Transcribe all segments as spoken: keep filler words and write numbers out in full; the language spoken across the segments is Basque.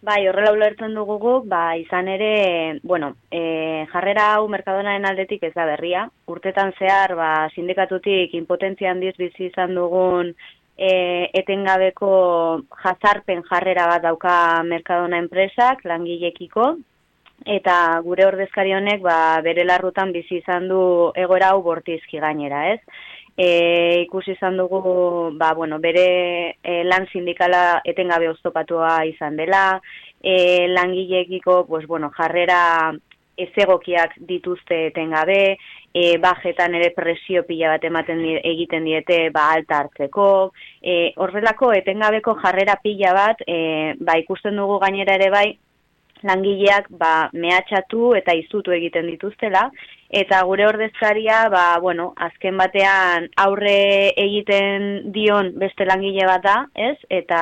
Bai, horrela ulertzen dugu guk, ba, izan ere, bueno, e, jarrera hau Mercadonaren aldetik ez da berria. Urtetan zehar, ba, sindikatutik impotentzia handiz bizi izan dugun e, etengabeko jazarpen jarrera bat dauka Mercadona enpresak, langilekiko, eta gure ordezkari honek, ba, bere larrutan bizi izan du egoera hau bortizki gainera, ez? E, ikusi izan dugu, ba, bueno, bere e, lan sindikala etengabe oztopatua izan dela, e, langileekiko, pues, bueno, jarrera ezegokiak dituzte etengabe, e, bajetan ere presio pila bat ematen di, egiten diete, ba, alta hartzeko, e, horrelako etengabeko jarrera pila bat, e, ba, ikusten dugu gainera ere bai, langileak ba, mehatxatu eta izutu egiten dituztela, eta gure ordezkaria, ba, bueno, azken batean aurre egiten dion beste langile bat da, ez? Eta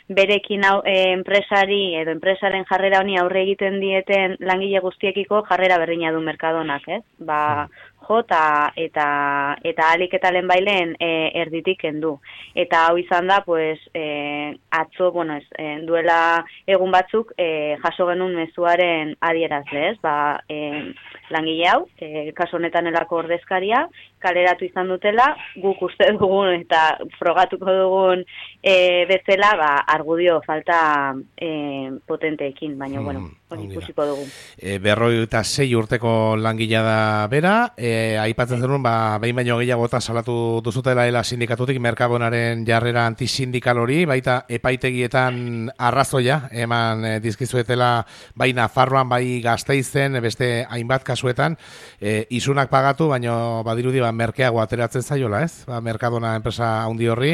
berekin hau, e, enpresari edo enpresaren jarrera honi aurre egiten dieten langile guztiekiko jarrera berdina du Mercadonak, ez? Ba, jota eta eta alik eta lehen bailen e, erditik kendu. Eta hau izan da, pues, e, atzo, bueno, ez, e, duela egun batzuk e, jaso genuen mezuaren adierazle, ez? Ba, e, langile hau, e, kaso honetan elako ordezkaria, kaleratu izan dutela, guk uste dugun eta frogatuko dugun e, bezala, ba, argudio falta e, potenteekin, baina, bueno, hori ikusiko dugu. E, berroi eta sei urteko langilea da bera, e, aipatzen zenun, ba, behin baino gehiagota salatu duzutela ela sindikatutik Mercadonaren jarrera antisindikal hori, baita epaitegietan arrazoia, eman e, dizkizuetela, bai Nafarroan, bai Gasteizen, beste hainbat kasuetan, e, isunak pagatu, baino badirudi ba, merkeago ateratzen zaiola, ez? Ba, Mercadona enpresa handi horri,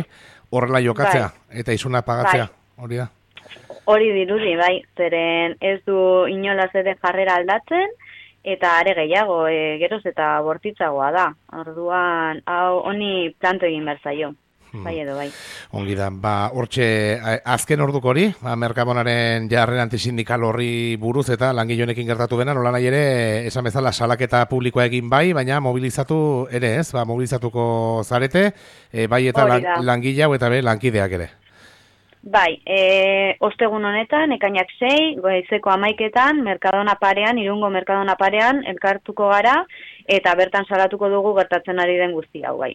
horrela jokatzea, bai. Eta isunak pagatzea, bai. Hori da. Hori dirudi, bai, zeren ez du inolaz ere jarrera aldatzen, eta are gehiago, e, geroz eta bortitzagoa da. Orduan, hau honi planto egin behar zaio. Bai edo, bai. Ongi da, ba, hortxe, azken orduko hori, ba, Mercadonaren jarrera antisindikal horri buruz eta langileonekin gertatu dena, nola nahi ere, esan bezala salaketa publikoa egin bai, baina mobilizatu ere ez, ba, mobilizatuko zarete, e, bai eta lan, langile hau eta be lankideak ere. Bai, e, ostegun honetan, ekainak sei, goizeko amaiketan, Mercadona parean, Irungo Mercadona parean, elkartuko gara, eta bertan salatuko dugu gertatzen ari den guzti hau, bai.